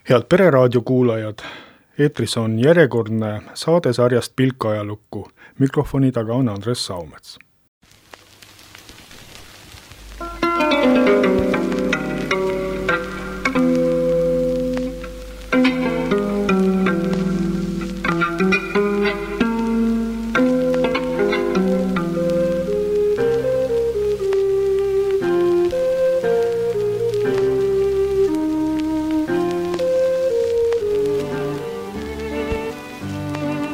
Head Pereraadio kuulajad, eetris on järjekordne saade sarjast Pilk ajalukku. Mikrofoni taga on Andres Saumets.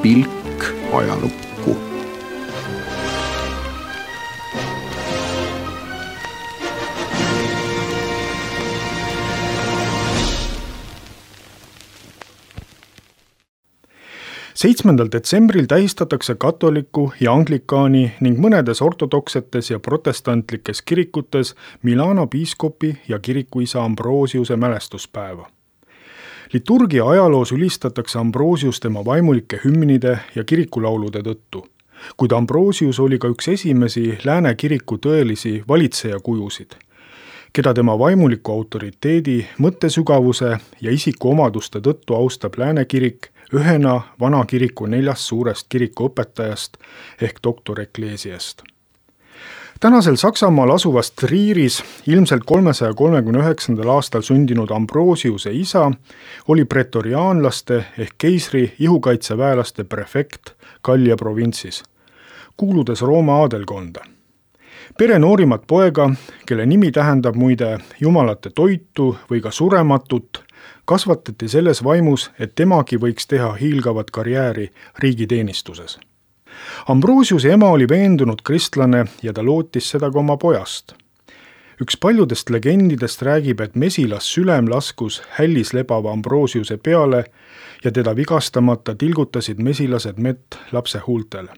Pilk ajalukku. Detsembril tähistatakse katoliku ja anglikaani ning mõnedes ortodoksetes ja protestantlikes kirikutes Milano piiskopi ja kirikuisa Ambrosiuse mälestuspäeva. Liturgia ajaloos ülistatakse Ambrosius tema vaimulike hümnide ja kirikulaulude tõttu, kuid Ambrosius oli ka üks esimesi lääne kiriku tõelisi valitsejakujusid, keda tema vaimuliku autoriteedi, mõttesügavuse ja isikuomaduste tõttu austab lääne kirik ühena vana kiriku 4 suurest kirikuõpetajast ehk doktor Ecclesiast. Tänasel Saksamaal asuvas Trieris ilmselt 339. aastal sündinud Ambrosiuse isa oli pretoriaanlaste ehk keisri ihukaitseväelaste prefekt Gallia provintsis, kuuludes Rooma aadelkonda. Pere noorimat poega, kelle nimi tähendab muide jumalate toitu või ka surematut, kasvatati selles vaimus, et temagi võiks teha hiilgavat karjääri riigiteenistuses. Ambrosiuse ema oli veendunud kristlane ja ta lootis seda ka oma pojast. Üks paljudest legendidest räägib, et mesilas sülem laskus hällis lebava Ambrosiuse peale ja teda vigastamata tilgutasid mesilased mett lapse huultele.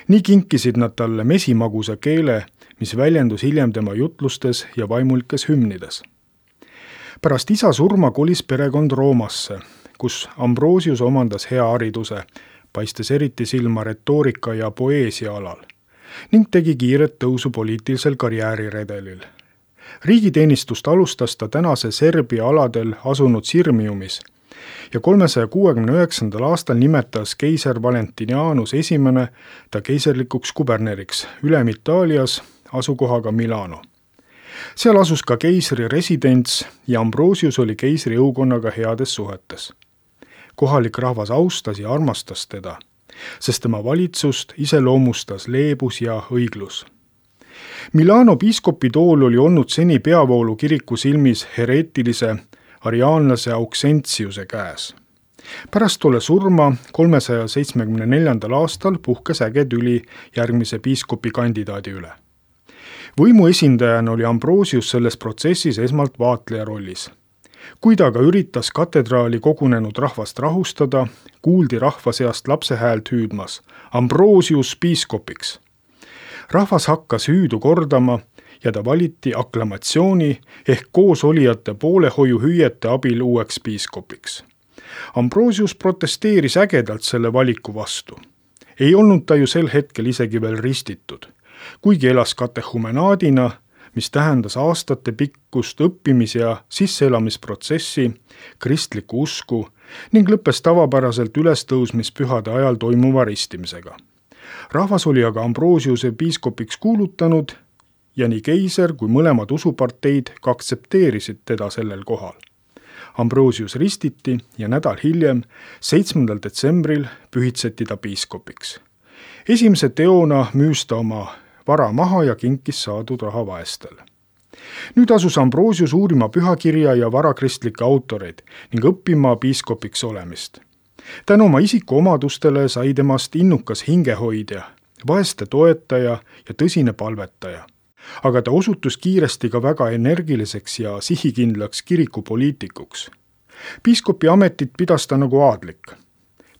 Nii kinkisid nad talle mesimagusa keele, mis väljendus hiljem tema jutlustes ja vaimulikes hümnides. Pärast isa surma kolis perekond Roomasse, kus Ambrosius omandas hea hariduse, paistes eriti silma retoorika ja poeesia alal, ning tegi kiiret tõusu poliitilisel karjääriredelil. Riigiteenistust alustas ta tänase Serbia aladel asunud Sirmiumis ja 369. aastal nimetas keiser Valentinianus I ta keiserlikuks kuberneriks Ülem-Itaalias asukohaga Milano. Seal asus ka keisri residents ja Ambrosius oli keisri jõukonnaga heades suhetes. Kohalik rahvas austas ja armastas teda, sest tema valitsust iseloomustas leebus ja õiglus. Milano piiskopi tool oli olnud seni peavoolu kiriku silmis hereetilise ariaanlase Auxentiuse käes. Pärast tolle surma 374. aastal puhkes äge tüli järgmise piiskopi kandidaadi üle. Võimu esindajana oli Ambrosius selles protsessis esmalt vaatleja rollis. Kui ta aga üritas katedraali kogunenud rahvast rahustada, kuuldi rahva seast lapse häält hüüdmas Ambrosius piiskopiks. Rahvas hakkas hüüdu kordama ja ta valiti aklamatsiooni ehk koosolijate poolehoiu hüüete abil uueks piiskopiks. Ambrosius protesteeris ägedalt selle valiku vastu. Ei olnud ta ju sel hetkel isegi veel ristitud, kuigi elas katehumenaadina, mis tähendas aastate pikkust õppimis- ja sisseelamisprotsessi, kristlikku usku ning lõppes tavapäraselt ülestõusmispühade ajal toimuva ristimisega. Rahvas oli aga Ambrosiuse piiskopiks kuulutanud ja nii keiser kui mõlemad usuparteid ka aktsepteerisid teda sellel kohal. Ambrosius ristiti ja nädal hiljem, 7. detsembril pühitseti ta piiskopiks. Esimese teona müüs ta oma vara maha ja kinkis saadud raha vaestele. Nüüd asus Ambrosius uurima pühakirja ja varakristlikke autoreid ning õppima piiskopiks olemist. Tänu oma isikuomadustele sai temast innukas hingehoidja, vaeste toetaja ja tõsine palvetaja. Aga ta osutus kiiresti ka väga energiliseks ja sihikindlaks kirikupoliitikuks. Piiskopi ametit pidas ta nagu aadlik.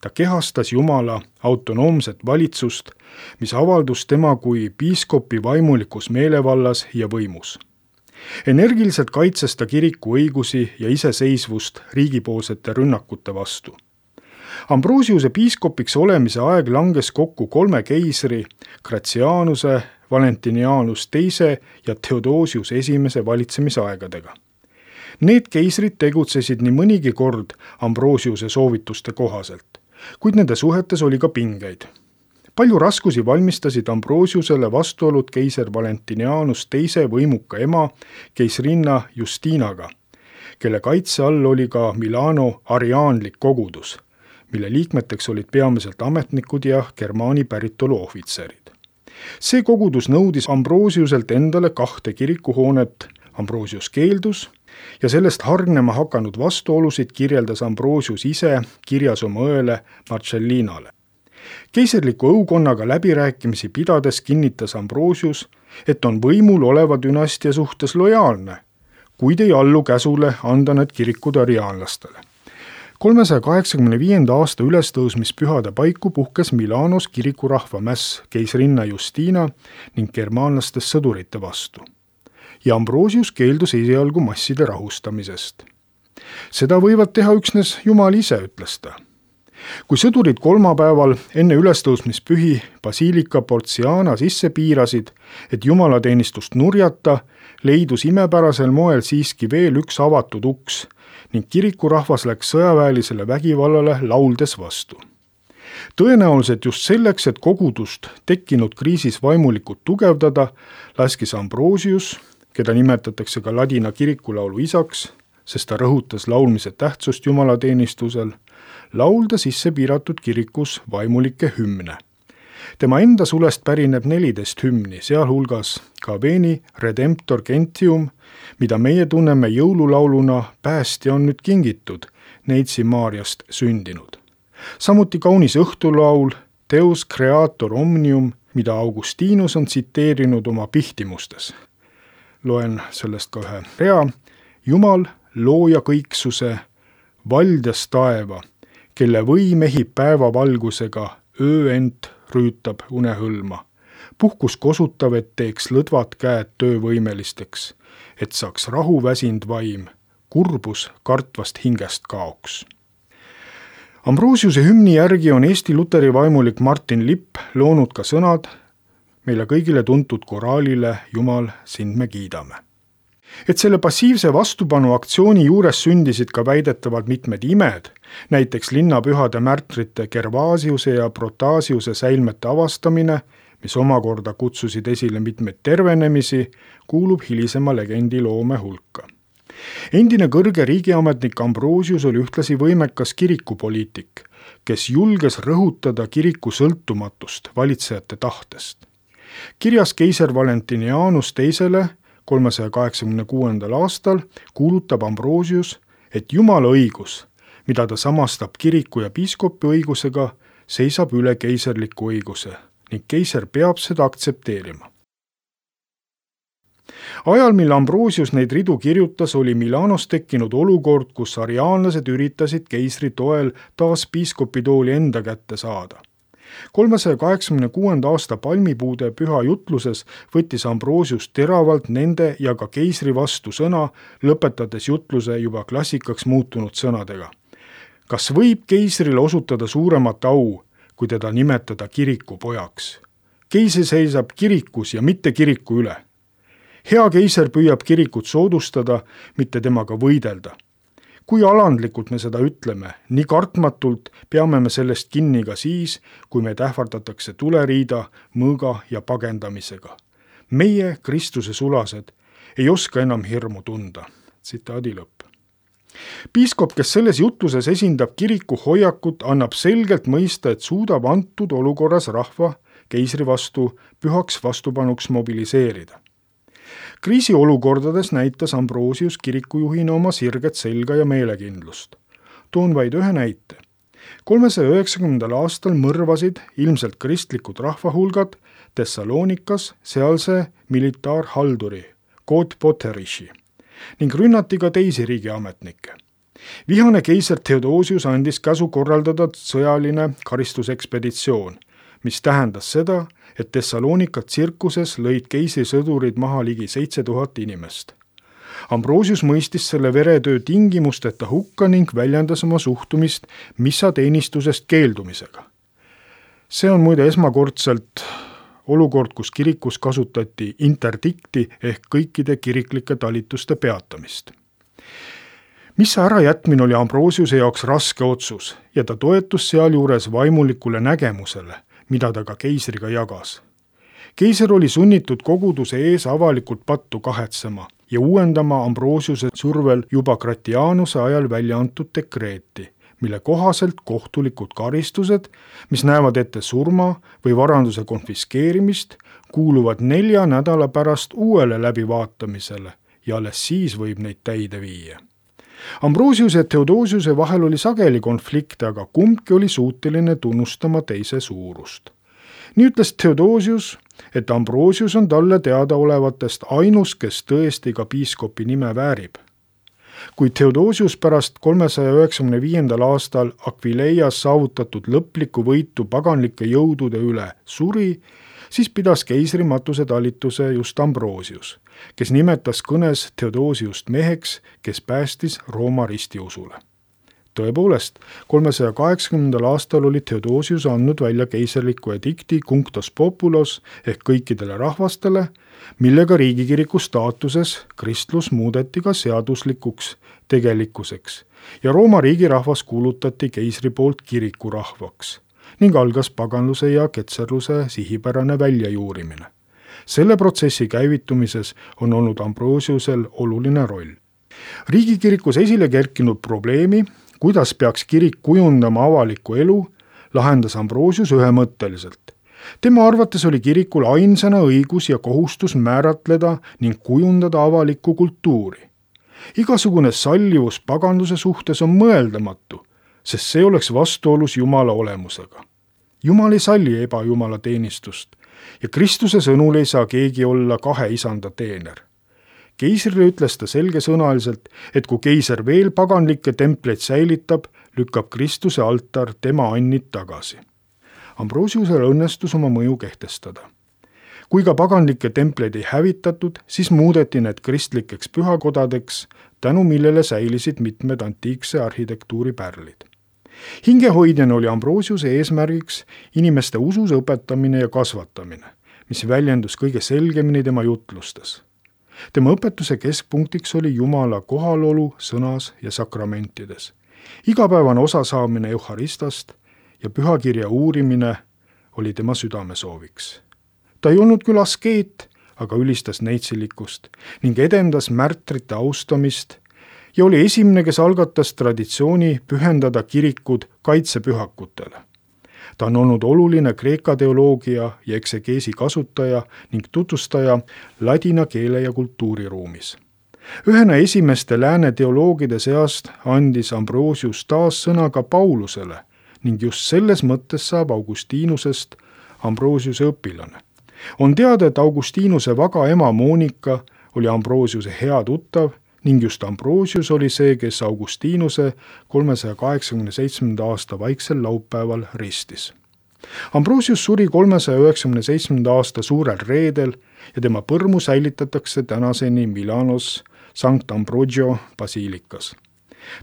Ta kehastas Jumala autonoomset valitsust, mis avaldus tema kui piiskopi vaimulikus meelevallas ja võimus. Energiliselt kaitses ta kiriku õigusi ja iseseisvust riigipoolsete rünnakute vastu. Ambrosiuse piiskopiks olemise aeg langes kokku 3 keisri, Gratianuse, Valentinianus II ja Theodosius I valitsemisaegadega. Need keisrid tegutsesid nii mõnigi kord Ambrosiuse soovituste kohaselt, kuid nende suhetes oli ka pingeid. Palju raskusi valmistasid Ambrosiusele vastuolud keiser Valentinianus teise võimuka ema keisrinna Justinaga, kelle kaitse all oli ka Milano ariaanlik kogudus, mille liikmeteks olid peamiselt ametnikud ja germaani päritolu ohvitserid. See kogudus nõudis Ambrosiuselt endale 2 kirikuhoonet. Ambrosius keeldus ja sellest hargnema hakanud vastuolusid kirjeldas Ambrosius ise kirjas oma õele Marcellinale. Keiserliku õukonnaga läbirääkimisi pidades kinnitas Ambrosius, et on võimul oleva dünastia suhtes lojaalne, kuid ei allu käsule anda need kirikud ariaanlastele. 385. aasta ülestõusmispühade paiku puhkes Milanos kirikurahva mäss keisrinna Justina ning germaanlastest sõdurite vastu. Ja Ambrosius keeldus esialgu masside rahustamisest. Seda võivad teha üksnes Jumal ise, ütles ta. Kui sõdurid kolmapäeval enne ülestõusmispühi Basilica Porziana sisse piirasid, et jumalateenistust nurjata, leidus imepärasel moel siiski veel üks avatud uks ning kirikurahvas läks sõjaväelisele vägivallale lauldes vastu. Tõenäoliselt just selleks, et kogudust tekkinud kriisis vaimulikult tugevdada, laskis Ambrosius, keda nimetatakse ka ladina kirikulaulu isaks, sest ta rõhutas laulmise tähtsust jumalateenistusel, laulda sisse piiratud kirikus vaimulikke hümne. Tema enda sulest pärineb 14 hümni, sealhulgas ka Veni Redemptor Gentium, mida meie tunneme jõululauluna Päästja on nüüd kingitud, Neitsi Maarjast sündinud. Samuti kaunis õhtulaul Deus Creator Omnium, mida Augustinus on tsiteerinud oma pihtimustes. Loen sellest ka ühe rea. Jumal, looja kõiksuse, valdas taeva, kelle võim ehib päevavalgusega, öö ent rüütab unehõlma. Puhkus kosutav, et teeks lõdvad käed töövõimelisteks, et saaks rahu väsind vaim, kurbus kartvast hingest kaoks. Ambrosiuse hümni järgi on Eesti luteri vaimulik Martin Lipp loonud ka sõnad meile kõigile tuntud koraalile Jumal, sind me kiidame. Et selle passiivse vastupanu aktsiooni juures sündisid ka väidetavalt mitmed imed, näiteks linnapühade märtrite Gervasiuse ja Protasiuse säilmete avastamine, mis omakorda kutsusid esile mitmeid tervenemisi, kuulub hilisema legendi loome hulka. Endine kõrge riigiametnik Ambrosius oli ühtlasi võimekas kirikupoliitik, kes julges rõhutada kiriku sõltumatust valitsejate tahtest. Kirjas keiser Valentinianus teisele 386. aastal kuulutab Ambrosius, et Jumala õigus, mida ta samastab kiriku ja piiskopi õigusega, seisab üle keiserliku õiguse ning keiser peab seda aktsepteerima. Ajal, mil Ambrosius neid ridu kirjutas, oli Milanos tekkinud olukord, kus ariaanlased üritasid keisri toel taas piiskopitooli enda kätte saada. 386. aasta palmipuude püha jutluses võttis Ambrosius teravalt nende ja ka keisri vastu sõna, lõpetades jutluse juba klassikaks muutunud sõnadega. Kas võib keisrile osutada suuremat au, kui teda nimetada kiriku pojaks? Keiser seisab kirikus ja mitte kiriku üle. Hea keiser püüab kirikut soodustada, mitte temaga võidelda. Kui alandlikult me seda ütleme, nii kartmatult peame me sellest kinni ka siis, kui meid ähvardatakse tuleriida, mõõga ja pagendamisega. Meie, Kristuse sulased, ei oska enam hirmu tunda. Tsitaadi lõpp. Piiskop, kes selles jutluses esindab kiriku hoiakut, annab selgelt mõista, et suudab antud olukorras rahva keisri vastu pühaks vastupanuks mobiliseerida. Kriisiolukordades näitas Ambrosius kirikujuhina oma sirget selga ja meelekindlust. Toon vaid ühe näite. 390. aastal mõrvasid ilmselt kristlikud rahvahulgad Thessalonikas sealse militaarhalduri Kod Potteriši ning rünnati ka teisi riigiametnikke. Vihane keiser Theodosius andis käsu korraldada sõjaline karistusekspeditsioon, mis tähendas seda, et Thessalonika tsirkuses lõid keisrisõdurid maha ligi 7000 inimest. Ambrosius mõistis selle veretöö tingimusteta hukka ning väljendas oma suhtumist missateenistusest keeldumisega. See on muide esmakordselt olukord, kus kirikus kasutati interdikti ehk kõikide kiriklike talituste peatamist. Missa ärajätmine oli Ambrosiuse jaoks raske otsus ja ta toetus sealjuures vaimulikule nägemusele, mida ta ka keisriga jagas. Keiser oli sunnitud koguduse ees avalikult pattu kahetsema ja uuendama Ambrosiuse survel juba Gratianuse ajal välja antud dekreeti, mille kohaselt kohtulikud karistused, mis näevad ette surma või varanduse konfiskeerimist, kuuluvad 4 nädala pärast uuele läbivaatamisele ja alles siis võib neid täide viia. Ambrosiuse ja Theodosiuse vahel oli sageli konflikte, aga kumbki oli suuteline tunnustama teise suurust. Nii ütles Theodosius, et Ambrosius on talle teadaolevatest ainus, kes tõesti ka piiskopi nime väärib. Kui Theodosius pärast 395. aastal Aquileias saavutatud lõplikku võitu paganlike jõudude üle suri, siis pidas keisrimatuse talituse just Ambrosius, kes nimetas kõnes Theodosiust meheks, kes päästis Rooma ristiusule. Tõepoolest, 380. aastal oli Theodosius andnud välja keiserliku edikti Cunctos Populos ehk kõikidele rahvastele, millega riigikiriku staatuses kristlus muudeti ka seaduslikuks tegelikkuseks ja Rooma riigirahvas kuulutati keisri poolt kirikurahvaks ning algas paganluse ja ketserluse sihipärane väljajuurimine. Selle protsessi käivitumises on olnud Ambrosiusel oluline roll. Riigikirikus esile kerkinud probleemi, kuidas peaks kirik kujundama avalikku elu, lahendas Ambrosius ühemõtteliselt. Tema arvates oli kirikul ainsana õigus ja kohustus määratleda ning kujundada avalikku kultuuri. Igasugune sallivus paganluse suhtes on mõeldamatu, sest see oleks vastuolus Jumala olemusega. Jumal ei salli ebajumala teenistust ja Kristuse sõnul ei saa keegi olla 2 isanda teener. Keisrile ütles ta selgesõnaliselt, et kui keiser veel paganlikke templeid säilitab, lükkab Kristuse altar tema annid tagasi. Ambrosiusel õnnestus oma mõju kehtestada. Kui ka paganlikke templeid ei hävitatud, siis muudeti need kristlikeks pühakodadeks, tänu millele säilisid mitmed antiikse arhitektuuri pärlid. Hingehoidjana oli Ambrosiuse eesmärgiks inimeste usus õpetamine ja kasvatamine, mis väljendus kõige selgemini tema jutlustes. Tema õpetuse keskpunktiks oli Jumala kohalolu sõnas ja sakramentides. Igapäevane osasaamine Euharistast ja pühakirja uurimine oli tema südamesooviks. Ta ei olnud küll askeet, aga ülistas neitsilikkust ning edendas märtrite austamist ja oli esimene, kes algatas traditsiooni pühendada kirikud kaitsepühakutele. Ta on olnud oluline kreeka teoloogia ja eksegeesi kasutaja ning tutvustaja ladina keele ja kultuuriruumis. Ühena esimeste lääne teoloogide seast andis Ambrosius taas sõna ka Paulusele ning just selles mõttes saab Augustinusest Ambrosiuse õpilane. On teada, et Augustinuse vaga ema Monika oli Ambrosiuse hea tuttav ning just Ambrosius oli see, kes Augustinuse 387. aasta vaiksel laupäeval ristis. Ambrosius suri 397. aasta suurel reedel ja tema põrmu säilitatakse tänaseni Milanos Sankt Ambrogio basiilikas.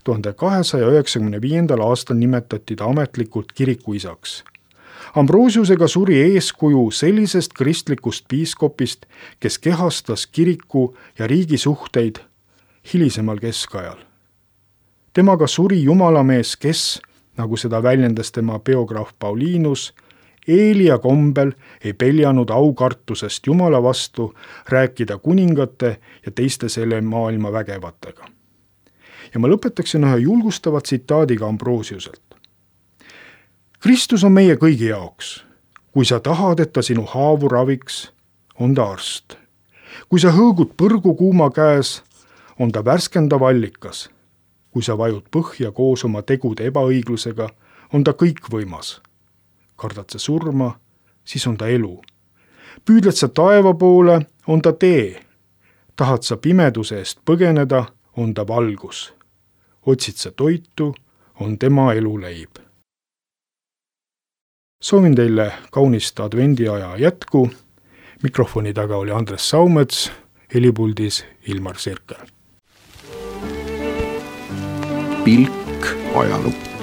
1295. aastal nimetati ta ametlikult kirikuisaks. Ambrosiusega suri eeskuju sellisest kristlikust piiskopist, kes kehastas kiriku ja riigi suhteid hilisemal keskajal. Temaga suri jumalamees, kes, nagu seda väljendas tema biograaf Paulinus, Eelia kombel ei peljanud aukartusest Jumala vastu rääkida kuningate ja teiste selle maailma vägevatega. Ja ma lõpetaksin ühe julgustava tsitaadiga Ambrosiuselt. Kristus on meie kõigi jaoks. Kui sa tahad, et ta sinu haavu raviks, on ta arst. Kui sa hõõgud põrgu kuuma käes, on ta värskendav allikas. Kui sa vajud põhja koos oma tegude ebaõiglusega, on ta kõikvõimas. Kardad sa surma, siis on ta elu. Püüdled sa taeva poole, on ta tee. Tahad sa pimeduse eest põgeneda, on ta valgus. Otsid sa toitu, on tema eluleib. Soovin teile kaunist advendiaja jätku. Mikrofoni taga oli Andres Saumets, helipuldis Ilmar Sirkel. Pilk ajalukku.